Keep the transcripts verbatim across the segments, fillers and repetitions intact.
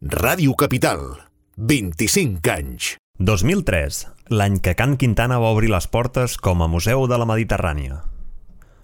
Ràdio Capital, vint-i-cinc anys. dos mil tres, l'any que Can Quintana va obrir les portes com a Museu de la Mediterrània.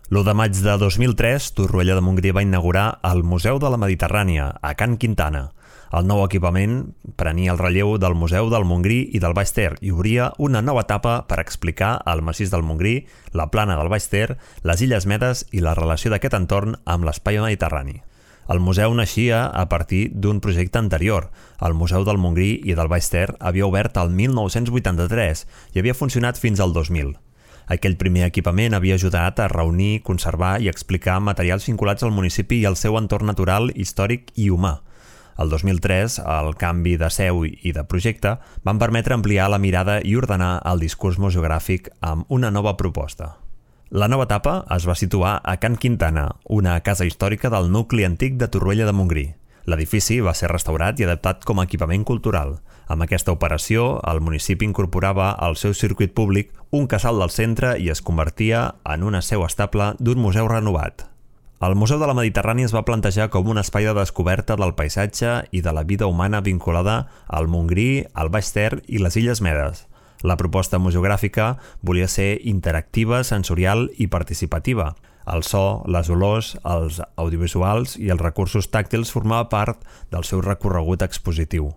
l'u de maig de dos mil tres, Torroella de Montgrí va inaugurar el Museu de la Mediterrània, a Can Quintana. El nou equipament prenia el relleu del Museu del Montgrí i del Baix Ter i obria una nova etapa per explicar el massís del Montgrí, la plana del Baix Ter, les Illes Medes i la relació d'aquest entorn amb l'espai mediterrani. El museu naixia a partir d'un projecte anterior. El Museu del Montgrí i del Baix Ter havia obert el mil nou-cents vuitanta-tres i havia funcionat fins al dos mil. Aquell primer equipament havia ajudat a reunir, conservar i explicar materials vinculats al municipi i al seu entorn natural, històric i humà. El dos mil tres, el canvi de seu i de projecte van permetre ampliar la mirada i ordenar el discurs museogràfic amb una nova proposta. La nova etapa es va situar a Can Quintana, una casa històrica del nucli antic de Torroella de Montgrí. L'edifici va ser restaurat i adaptat com a equipament cultural. Amb aquesta operació, el municipi incorporava al seu circuit públic un casal del centre i es convertia en una seu estable d'un museu renovat. El Museu de la Mediterrània es va plantejar com un espai de descoberta del paisatge i de la vida humana vinculada al Montgrí, al Baix Ter i les Illes Medes. La proposta museogràfica volia ser interactiva, sensorial i participativa. El so, les olors, els audiovisuals i els recursos tàctils formava part del seu recorregut expositiu.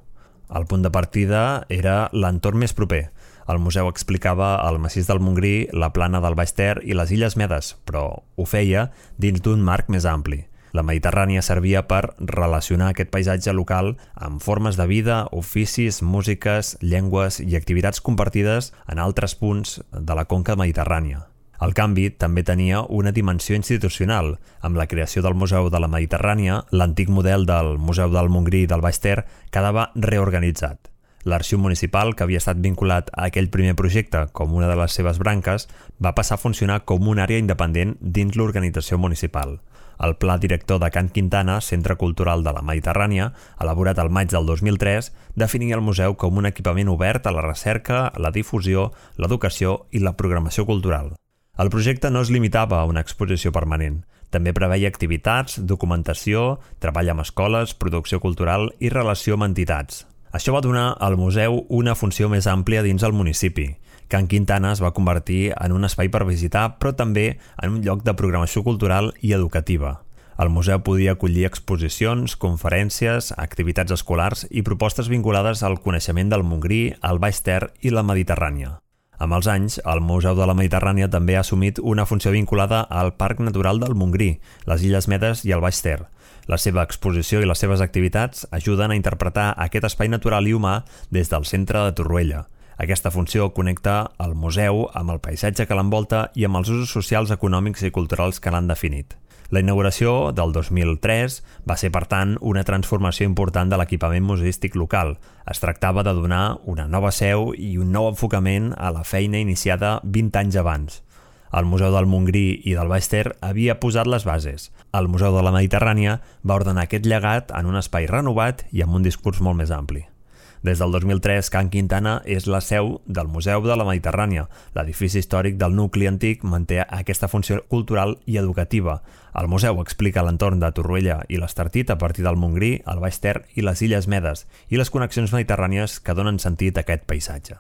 El punt de partida era l'entorn més proper. El museu explicava el massís del Montgrí, la plana del Baix Ter i les Illes Medes, però ho feia dins d'un marc més ampli. La Mediterrània servia per relacionar aquest paisatge local amb formes de vida, oficis, músiques, llengües i activitats compartides en altres punts de la conca mediterrània. El canvi també tenia una dimensió institucional. Amb la creació del Museu de la Mediterrània, l'antic model del Museu del Montgrí i del Baix Ter quedava reorganitzat. L'Arxiu Municipal, que havia estat vinculat a aquell primer projecte com una de les seves branques, va passar a funcionar com una àrea independent dins l'organització municipal. El Pla Director de Can Quintana, Centre Cultural de la Mediterrània, elaborat al maig del dos mil tres, definia el museu com un equipament obert a la recerca, la difusió, l'educació i la programació cultural. El projecte no es limitava a una exposició permanent. També preveia activitats, documentació, treball amb escoles, producció cultural i relació amb entitats. Això va donar al museu una funció més àmplia dins el municipi. Can Quintana es va convertir en un espai per visitar, però també en un lloc de programació cultural i educativa. El museu podia acollir exposicions, conferències, activitats escolars i propostes vinculades al coneixement del Montgrí, el Baix Ter i la Mediterrània. Amb els anys, el Museu de la Mediterrània també ha assumit una funció vinculada al Parc Natural del Montgrí, les Illes Medes i el Baix Ter. La seva exposició i les seves activitats ajuden a interpretar aquest espai natural i humà des del centre de Torroella. Aquesta funció connecta el museu amb el paisatge que l'envolta i amb els usos socials, econòmics i culturals que l'han definit. La inauguració del dos mil tres va ser, per tant, una transformació important de l'equipament museístic local. Es tractava de donar una nova seu i un nou enfocament a la feina iniciada vint anys abans. El Museu del Montgrí i del Baix Ter havia posat les bases. El Museu de la Mediterrània va ordenar aquest llegat en un espai renovat i amb un discurs molt més ampli. Des del dos mil tres, Can Quintana és la seu del Museu de la Mediterrània. L'edifici històric del nucli antic manté aquesta funció cultural i educativa. El museu explica l'entorn de Torroella i l'Estartit a partir del Montgrí, el Baix Ter i les Illes Medes i les connexions mediterrànies que donen sentit a aquest paisatge.